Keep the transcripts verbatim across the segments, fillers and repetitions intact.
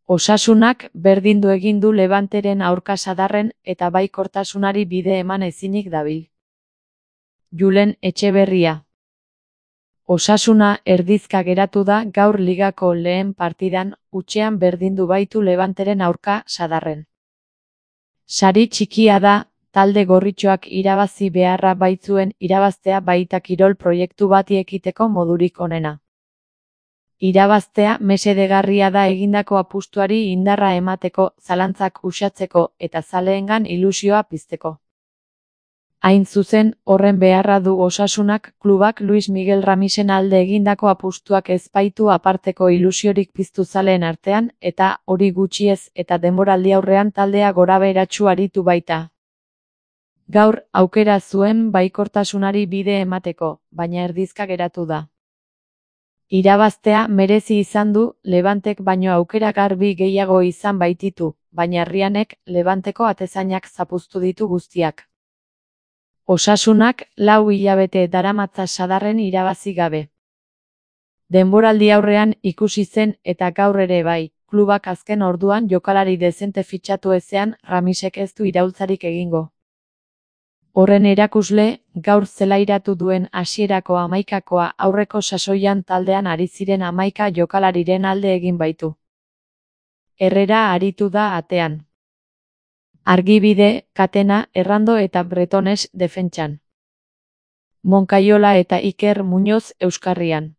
Osasunak berdindu egin du Levanteren aurka Sadarren eta baikortasunari bide eman ezinik dabil. Julen Etxeberria. Osasuna erdizka geratu da gaur ligako lehen partidan, hutsean berdindu baitu Levanteren aurka Sadarren. Sari txikia da, talde gorritxoak irabazi beharra baitzuen irabaztea baita kirol proiektu bati ekiteko modurik onena. Irabaztea mesedegarria da egindako apustuari indarra emateko, zalantzak uxatzeko eta zaleengan ilusioa pizteko. Hain zuzen, horren beharra du Osasunak klubak Luis Miguel Ramisen alde egindako apustuak ez baitu aparteko ilusiorik piztu zaleen artean eta hori gutxiez eta denboraldi aurrean taldea gorabeheratsu aritu baita. Gaur aukera zuen baikortasunari bide emateko, baina erdizka geratu da. Irabaztea merezi izan du, Levantek baino aukera garbi gehiago izan baititu, baina Rianek Levanteko atezainak zapuztu ditu guztiak. Osasunak lau hilabete daramatza Sadarren irabazi gabe. Denboraldi aurrean ikusi zen eta gaur ere bai, klubak azken orduan jokalari dezente fitxatu ezean Ramisek ez du iraultzarik egingo. Horren erakusle, gaur zelairatu duen hasierako hamaikakoa aurreko sasoian taldean ari ziren hamaika jokalariren alde egin baitu. Herrera aritu da atean. Argibide, Katena, Errando eta Bretones defentsan. Monkaiola eta Iker Muñoz euskarrian.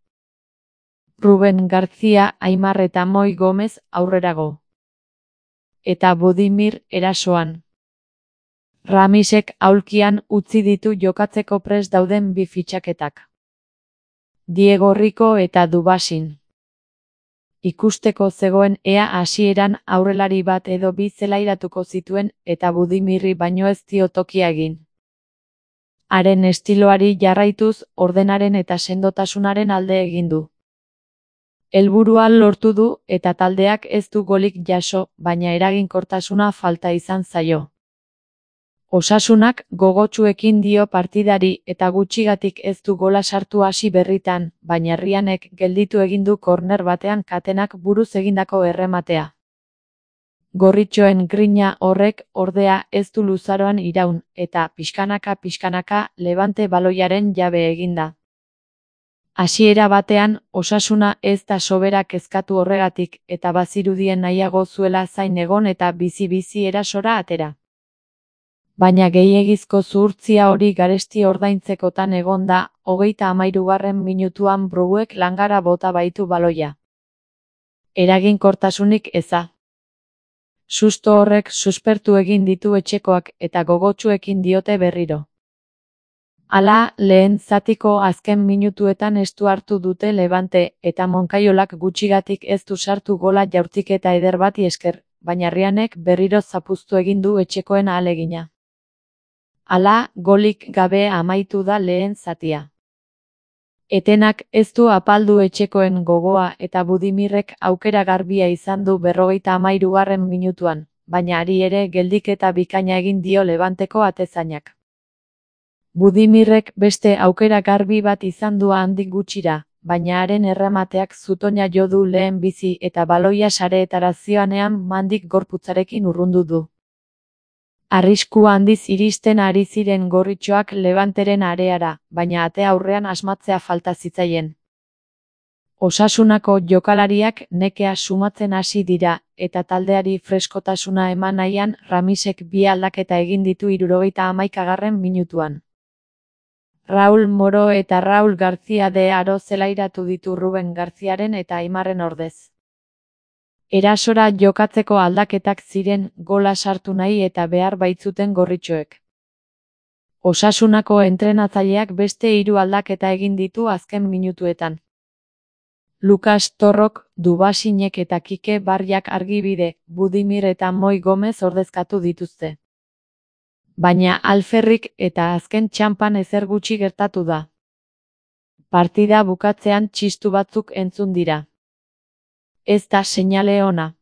Ruben García, Aimar eta Moi Gomez aurrerago. Eta Budimir erasoan. Ramisek aulkian utzi ditu jokatzeko prest dauden bi fitxaketak. Diego Rico eta Dubasin. Ikusteko zegoen ea hasieran aurrelari bat edo bi zelairatuko zituen eta Budimirri baino ez dio tokia egin. Haren estiloari jarraituz ordenaren eta sendotasunaren alde egin du. Helburua lortu du eta taldeak ez du golik jaso, baina eraginkortasuna falta izan zaio. Osasunak gogotsuekin dio partidari eta gutxigatik ez du gola sartu hasi berritan, baina Rianek gelditu egin du korner batean Katenak buruz egindako errematea. Gorritxoen grina horrek ordea ez du luzaroan iraun eta pixkanaka-pixkanaka Levante baloiaren jabe eginda. Hasiera batean, Osasuna ez da sobera kezkatu horregatik eta bazirudien nahiago zuela zain egon eta bizi-bizi erasora atera. Baina gehiegizko zuhurtzia hori garesti ordaintzekotan egon da, hogeita hamahirugarren minutuan Bruguek langara bota baitu baloia. Eraginkortasunik eza. Susto horrek suspertu egin ditu etxekoak eta gogotsuekin diote berriro. Hala, lehen zatiko azken minutuetan estu hartu dute Levante eta Monkaiolak gutxigatik ez du sartu gola jaurtiketa eder bati esker, baina Rianek berriro zapuztu egin du etxekoen ahalegina. Hala, golik gabe amaitu da lehen zatia. Etenak ez du apaldu etxekoen gogoa eta Budimirrek aukera garbia izan du berrogeita hamahirugarren minutuan, baina ari ere geldiketa bikaina egin dio Levanteko atezainak. Budimirrek beste aukera garbi bat izan du handik gutxira, baina haren erremateak zutoina jo du lehen bizi eta baloia sareetara zioanean mandik gorputzarekin urrundu du. Arrisku handiz iristen ari ziren gorritxoak Levanteren areara, baina ate aurrean asmatzea falta zitzaien. Osasunako jokalariak nekea sumatzen hasi dira, eta taldeari freskotasuna eman nahian Ramisek bi aldaketa egin ditu hirurogeita hamaikagarren minutuan. Raul Moro eta Raul García de Aro zelairatu ditu Ruben Garziaren eta Aimarren ordez. Erasora jokatzeko aldaketak ziren gola sartu nahi eta behar baitzuten gorritxoek. Osasunako entrenatzaileak beste hiru aldaketa egin ditu azken minutuetan. Lucas Torrok, Dubasinek eta Kike Barriak Argibide, Budimir eta Moi Gomez ordezkatu dituzte. Baina alferrik eta azken txanpan ezer gutxi gertatu da. Partida bukatzean txistu batzuk entzun dira. Ez da seinale ona.